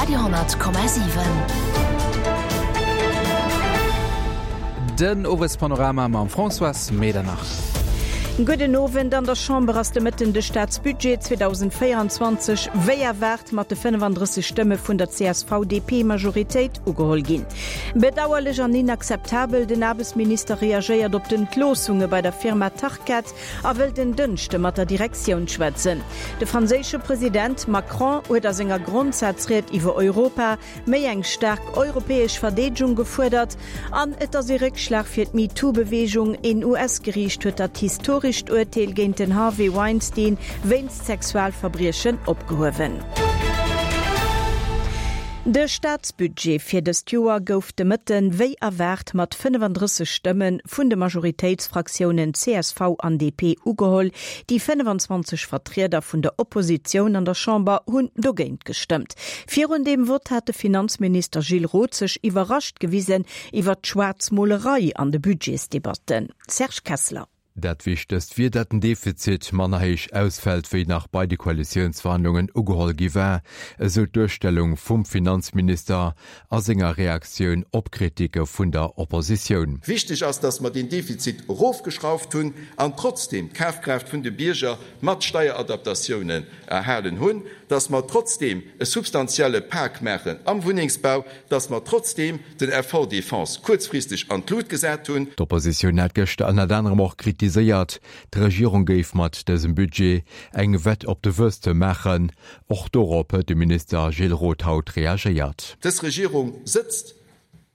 Radio,7. Den Owespanorama mam Françoise Medernach. Gudden Owend. An der Chamber ass de Mëtten de Staatsbudget 2024 wéi erwaart mat de 35 Stëmme vun der CSV-DP-Majoritéit ugeholl ginn. Bedauerlech an inakzeptabel, Den Aarbechtsminister reagéiert op d'Entloossunge bei der Firma Tarkett a wëllt en Dënschde mat der Direktioun schwätzen. De franséische President Macron huet a senger Grondsazried iwwer Europa méi eng staark europäesch Verdeedegung gefuerdert. An et ass ee Réckschlag fir d'MeToo-Beweegung, Een US-Geriicht huet dat historescht Urteel géint den Harvey Weinstein wéinst Sexualverbriechen opgehuewen. De Staatsbudget fir dëst Joer gouf de Mëtten, wéi erwaart, mat 35 Stëmme vun de Majoritéitsfraktiounen csv an DP ugeholl. Déi 25 Vertrieder vun der Oppositioun an der Chamber hunn dogéint gestëmmt. Virun deem Vott hat de Finanzminister Gilles Roth sech iwwerrascht gewisen iwwert d'Schwaarzmolerei an de Budgetsdebatten. Serge Kessler. Dat Wichtegst wier, dat den Defizit manner héich ausfält, wéi nach bei de Koalitiounsverhandlungen ugeholl gi war, esou d'Duerstellung vum Finanzminister a senger Reaktioun op Kriticke vun der Oppositioun. Wichteg ass, datt mer deen Defizit erofgeschrauft hunn an trotzdeem d'Kafkraaft vun de Bierger mat Steieradaptatiounen erhalen hunn, datt mer trotzdeem e substantielle Pak maachen am Wunnengsbau, datt mer trotzdeem den Effort Défense kuerzfristeg an d'Lut gesat hunn. D'Oppositioun hat gëschter ënnert anerem och kritiséiert, d'Regierung géif mat dësem Budget eng Wett op de Wuesstem maachen. Och dorop huet de Minister Gilles Roth haut reagéiert. Dës Regierung sëtzt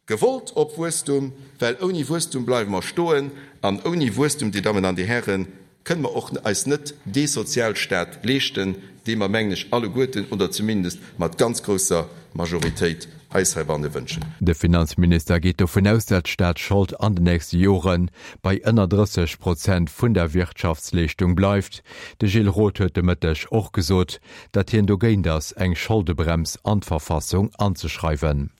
gewollt op Wuesstum, well ouni Wuesstum bleiwe mer stoen an ouni Wuesstum, Dir Dammen an Dir Hären, kënne mer och eis net dee Sozialstaat leeschten, dee mer, mengen ech, alleguerten oder zumindest mat ganz grousser Majoritéit eis heibanne wënschen. De Finanzminister geet dovun aus, dat d'Staatsschold an den nächste Jore bei ënner 30 Prozent vun der Wirtschaftsleeschtung bleift. De Gilles Roth huet de Mëtteg och gesot, datt hien dogéint ass, eng Scholdebrems an d'Verfassung anzeschreiwen.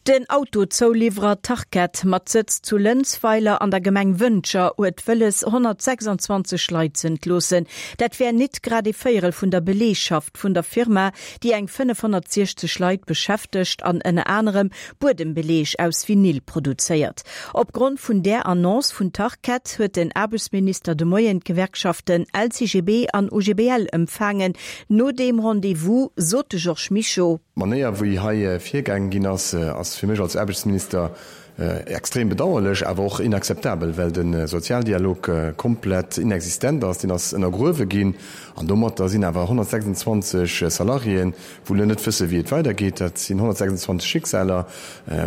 Den Autozouliwwerer Tarkett mat Sëtz zu Lënzweiler an der Gemeng Wëntger huet wëlles 126 Leit z'entloossen. Dat wär nit grad ee Véierel vun der Beleegschaft vun der Firma, déi eng 560 Leit beschäftegt an ënner anerem Buedembeleeg aus Vinyl produzéiert. Opgrond vun där Annonce vun Tarkett huet den Aarbechtsminister de Moien d'Gewerkschaften LCGB an OGBL empfaangen. No deem Rendez-vous sot de Georges Mischo. D'Manéier wéi hei virgaange ginn ass, ass fir mech als Aarbechtsminister extrem bedauerlech, awer och inakzeptabel, well de Sozialdialog komplett inexistent ass. Deen ass ënnergruewe ginn an domatter sinn awer 126 Salariéen, wou elo net wësse wéi et weidergeet. Dat sinn 126 Schicksaler,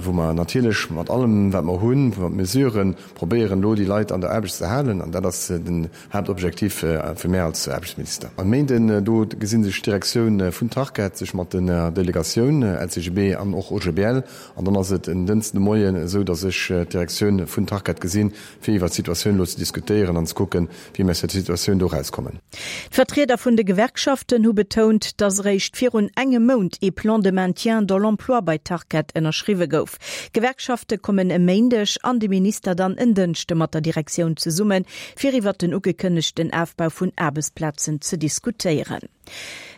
wou mer natierlech mat allem wat mer hunn, mat Mesuren, probéieren elo déi Leit an der Aarbecht ze halen an dat ass den Haaptobjektiv fir mär als Aarbechtsminister. E Méinden do gesi sech d'Direktioun vun Tarkett sech mat der Delegatioun LCGB an och OGBL an dann ass et en Dënsten de Moien esou, datt ech d'Direktioun vun Tarkett gesinn, fir iwwert d'Situatioun elo ze diskutéieren an ze kucken, wéi mir aus der Situatioun do erauskommen. D'Vertrieder vun de Gewerkschaften hu betount, datt eréischt virun engem Mount ee Plan de maintien dans l'emploi bei Tarkett ënnerschriwwe gouf. D'Gewerkschafte kommen e Méindeg an de Minister dann en Dënschde mat der Direktioun zesummen, fir iwwert den ugekënnegten Afbau vun Aarbechtsplazen ze diskutéieren.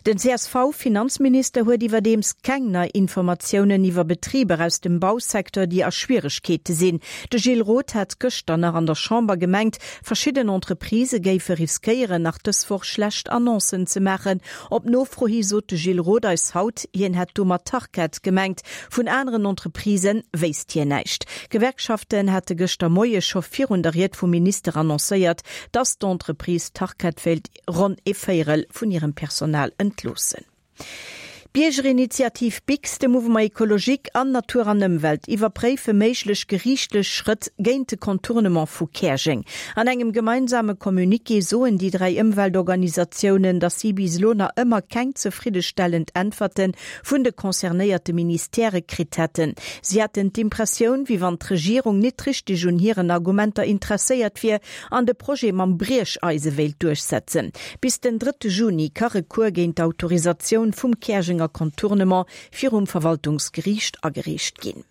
Den CSV-Finanzminister huet iwwerdeems keng nei Informatiounen iwwer Betriber aus dem Bausecteur, déi a Schwieregkeete sinn. De Gilles Roth hat gëschter nach an der Chamber gemengt, verschidden Entreprisë géife riskéieren, nach dës Woch schlecht Annoncen ze maachen. Op Nofro hi sot de Gilles Roth eis haut, hien hätt domat Tarkett gemengt. Vun aneren Entreprisë wéisst hien näischt. D'Gewerkschaften hate gëschter Moie scho virun der Ried vum Minister annoncéiert, datt d'Entreprise Tarkett wéilt ronn ee Véierel vun hirem Personal entloossen. D'Biergerinitiativ Bix, de Mouvement Ecologique an Natur an Ëmwelt iwwerpréife méiglech geriichtlech Schrëtt géint de Contournement vu Käerjeng. An engem gemeinsame Communiqué soen déi 3 Ëmweltorganisatiounen, datt si bis elo nach ëmmer keng zefriddestellend Äntwerte vun de concernéierte Ministèrë kritt hätten. Si hätten d'Impressioun, wéi wann d'Regierung nit richteg un hiren Argumenter interesséiert wier an de Projet mam Briecheise wéilt duerchsetzen. Bis den drëtte Juni ka Recours géint d'Autorisatioun vum Käerjenger Contournement virum Verwaltungsgeriicht agereecht ginn.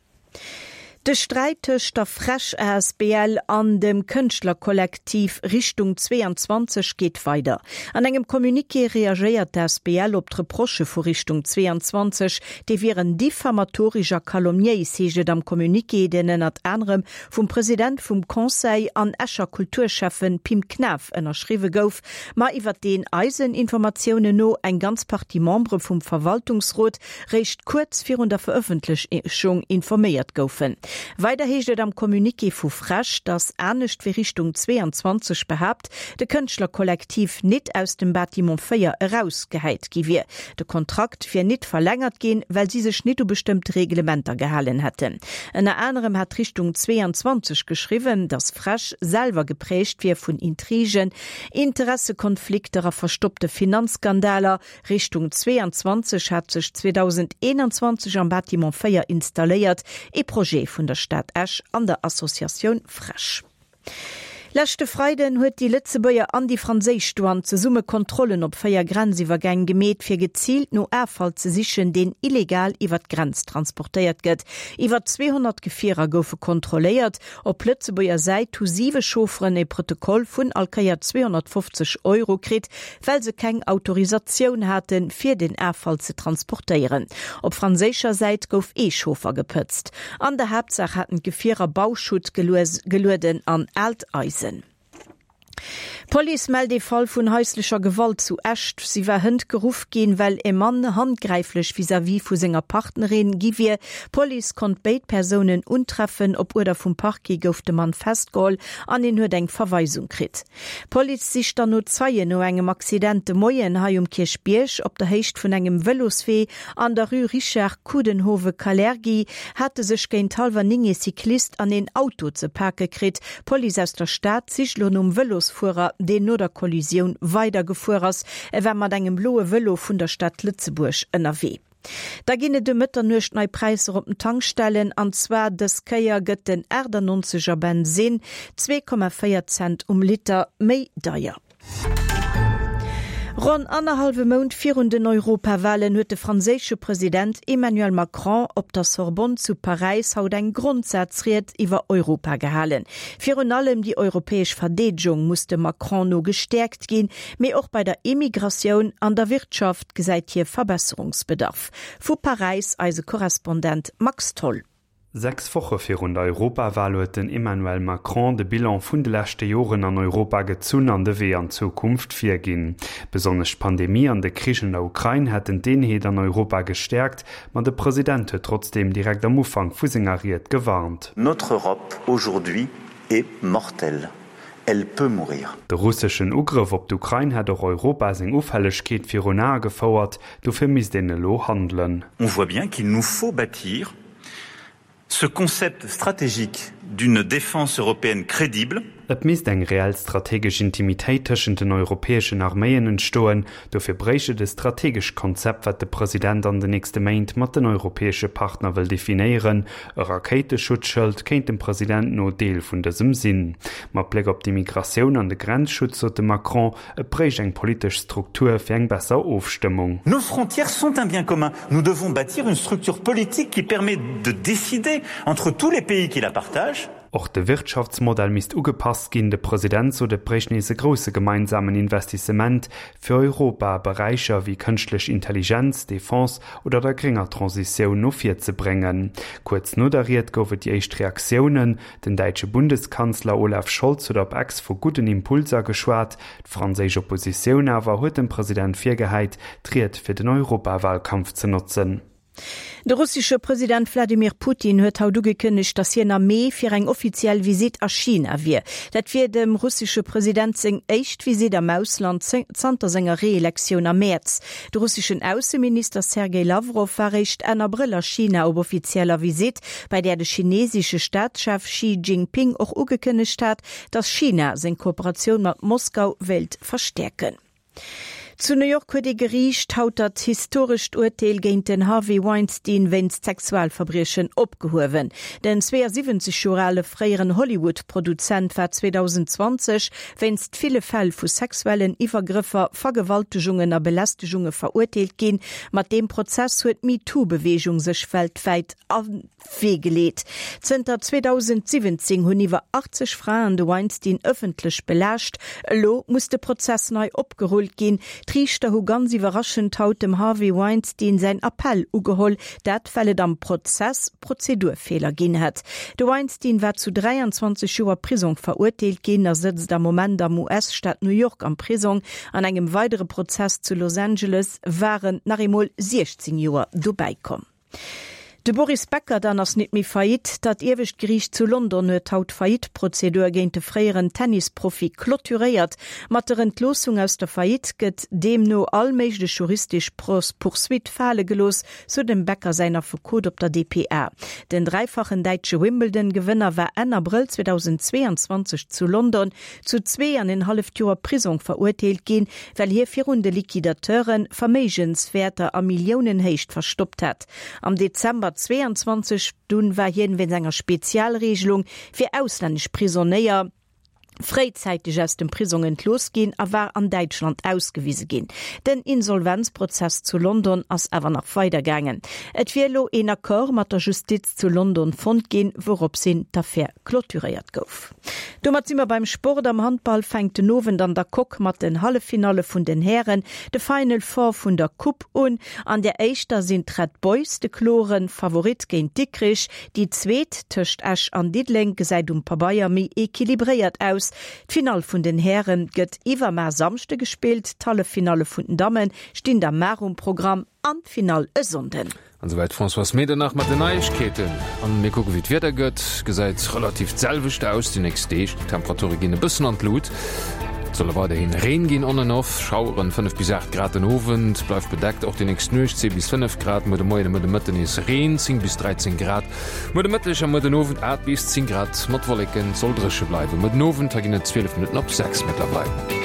De Sträit tëscht der Fresch asbl an dem Kënschtlerkollektiv Richtung 22 geet weider. An engem Communiqué reagéiert d'asbl op d'Reprochë vu Richtung 22, déi wieren diffamatorisch a calomniéis, heescht et am Communiqué, deen ënnert anerem vum President vum Conseil an Escher Kulturschäffen Pim Knaff ënnerschriwwe gouf, ma iwwer deen eisen Informatiounen no eng ganz Partie Membere vum Verwaltungsrot réischt kuerz virun der Verëffentlechung informéiert goufen. Weider heescht et am Communiqué vu Fresch, datt, anescht wéi Richtung 22 behaapt, de Kënschtlerkollektiv nit aus dem Bâtiment 4 erausgehäit gi wier. De Kontrakt wier nit verlängert ginn, well si sech nit u bestëmmte Reglementer gehalen hätten. Ënner anerem hat Richtung 22 geschriwwen, datt Fresch selwer geprägt wier vun Intrigen, Interessekonflikter a verstoppte Finanzskandaler, Richtung 22 hat sech 2021 am Bâtiment 4 installéiert, ee Projet vun der Stad Esch an der Associatioun Fresch. Leschte Freiden huet déi Lëtzebuerger an déi franséisch Douane zesumme Kontrollen op 4 Grenziwwergäng gemeet, fir geziilt no Affall ze sichen, deen illegal iwwer d'Grenz transportéiert gëtt. Iwwer 200 Gefierer goufe kontrolléiert. Op Lëtzebuerger Säit hu siwe Chaufferen e Protokoll vun all Kéier 250 Euro kritt, well se keng Autorisatioun haten, fir den Affall ze transportéieren. Op franséischer Säit gouf ee Chauffer gepëtzt. An der Haaptsaach haten d'Gefierer Bauschutt gelueden an aalt Eisen. D'Police mellt ee Fall vun haislecher Gewalt zu Esch. Si war hënt geruff ginn, well e Mann handgräiflech vis-à-vis vu senger Partnerin gi wier. D'Police konnt béid Persounen untreffen. Op Uerder vum Parquet gouf de Mann festgeholl an en huet eng Verweisung kritt. D'Police sicht dann no Zeien no engem Accident de Moien hei um Kierchbierg. Op der Héicht vun engem Vëloswee an der Rue Richard Coudenhove-Kalergi hate sech géint hallwer 9 ee Cyclist an een Auto ze pake kritt. D'Police aus der Stad sicht elo nom Vëlosfuerer, deen no der Kollisioun weidergefuer ass. E war mat engem bloe Vëlo vun der Stad Lëtzebuerg ënnerwee. Da ginn et um Mëtternuecht nei Präisser op den Tankstellen, an zwar dës Kéier gëtt den 98 er Bensinn 2,4 Cent um Liter méi deier. Ronn annerhallwe Mount virun den Europawalen huet de franséische President Emmanuel Macron op der Sorbonne zu Paräis haut eng Grondsazried iwwer Europa gehalen. Virun allem déi europäesch Verdeedegung muss dem Macron no gestäerkt ginn, mee och bei der Immigratioun an der Wirtschaft gesäit hie Verbesserungsbedarf. Vu Paräis eise Korrespondent Max Tholl. Sechs Woche virun der Europawal huet den Emmanuel Macron de Bilan vun de leschte Joren an Europa gezunn an de Wee an d'Zukunft virginn. Besonnesch d'Pandemie an de Krich an der Ukrain hätten d'Eenheet an Europa gestäerkt, ma de President huet trotzdeem direkt am Ufank vu senger Ried gewarnt. Notre Europe aujourd'hui est mortelle. Elle peut mourir. De russeschen Ugrëff op d'Ukrain hätt och Europa seng Ufällegkeet virun Ae gefouert, dofir misst een elo handelen. On voit bien qu'il nous faut bâtir ce concept stratégique d'une défense européenne crédible. Et misst eng reell strategesch Intimitéit tëschent den europäeschen Arméien entstoen, Dofir bréicht et e strategescht Konzept, wat de President an den nächste Méint mat den europäesche Partner wëll definéieren. E Rakéiteschutzschëld kéint dem President no Deel vun dësem sinn. Mat Bléck op d'Immigratioun an de Grenzschutz sot de Macron, et bréicht eng politesch Struktur fir eng besser Ofstëmmung. Nos frontières sont un bien commun. Nous devons bâtir une structure politique qui permet de décider entre tous les pays qui la partagent. Och de Wirtschaftsmodell misst ugepasst ginn. De President sot, et bréicht nees e grousse gemeinsamen Investissement fir Europa a Beräicher wéi kënschtlech Intelligenz, Defense oder der grénger Transitioun no vir ze bréngen. Kuerz no der Ried gouf et déi éischt Reaktiounen. Den däitsche Bundeskanzler Olaf Scholz huet op Ex vu gudden Impulser geschwat. D'franséisch Oppositioun awer huet dem President virgehäit, d'Ried fir den Europawalkampf ze notzen. De russesche President Wladimir Putin huet haut ugekënnegt, datt hien am Mee fir eng offiziell Visitt a China wier. Dat wier dem russesche President seng éischt Visitt am Ausland zanter senger Reelektioun am Mäerz. De russeschen Ausseminister Sergej Lawrow war réischt Enn Abrëll a China op offizieller Visitt, bei där de chinesesche Staatschef Xi Jinping och ugekënnegt hat, datt China seng Kooperatioun mat Moskau wéilt verstäerken. Zu New York huet ee Geriicht haut dat historescht Urteel géint den Harvey Weinstein wéinst Sexualverbriechen opgehuewen. Den 72 Joer ale fréieren Hollywood-Produzent war 2020 wéinst ville Fäll vu sexuellen Iwwergrëffer, Vergewaltegungen a Belästegunge verurteelt ginn. Mat deem Prozess huet d'MeToo-Beweegung sech weltwäit an d'Wee geleet. Zënter 2017 hunn iwwer 80 Fraen de Weinstein ëffentlech belaascht. Elo muss de Prozess nei opgerullt ginn. D'Riichter hu ganz iwwerraschend haut dem Harvey Weinstein säin Appell ugeholl, dat well et am Prozess Prozedurfeeler ginn hätt. De Weinstein war zu 23 Joer Prisong verurteelt ginn a sëtzt am Moment am US-Staat New York am Prisong. An engem weidere Prozess zu Los Angeles waren nach eemol 16 Joer dobäi komm. De Boris Becker dann ass nit méi Faillite. Dat iewescht Geriicht zu London huet haut d'Faillite-Prozedur géint de fréieren Tennisprofi clôturéiert. Mat der Entloossung aus der Faillite gëtt deemno all méiglech juristesch Poursuite fale gelooss, sou dem Becker säin Affekot op der dpa. Den dräifachen däitsche Wimbledon-Gewënner war Enn Abrëll 2022 zu London zu zwee an en halleft Joer Prisong verurteelt ginn, well hie virun de Liquidateure Verméigenswäerter a Milliounenhéicht verstoppt hat. Am Dezember 22 dunn war hien wéinst enger Spezialregelung fir auslännesch Prisonéier fréizäiteg aus dem Prisong entlooss ginn a war an Däitschland ausgewise ginn. Den Insolvenzprozess zu London ass awer nach weidergaangen. Et wier elo een Accord mat der Justiz zu London fonnt ginn, wourops hin d'Affär clôturéiert gouf. Domat si mer beim Sport. Am Handball fänkt den Owend an der Coque mat den Halleffinalle vun den Hären de Final Four vun der Coupe un. An der éischter sinn d'Red Boys de klore Favorit géint Dikrich. Déi zweet tëscht Esch an Diddeleng gesäit um Pabeier méi equilibréiert aus. D'Finall vun den Häre gëtt iwwermar Samschde gespillt, d'Halleffinalle vun den Damme stinn da mar um Programm an d'Finall e Sonnden. An esouwäit d'Françoise Medernach mat den Neiegkeeten. An mir kucke wéi d'Wieder gëtt. Gesäit relativ d'selwecht aus déi nächst Deeg. D'Temperature ginn e bëssen an d'Lut. Et soll weiderhi Reen ginn, on and off Schaueren, 5 bis 8 Grad den Owend, bleift bedeckt och déi nächst Nuecht, 10 bis 5 Grad, muer de Moien a muer de Mëtten nees Reen, 10 bis 13 Grad, muer de Mëtteg a muer den Owend 8 bis 10 Grad mat Wolleken, et soll dréche bleiwen. Muer den Owend, hei ginn et 12 Minutten op 6 mëttlerweil.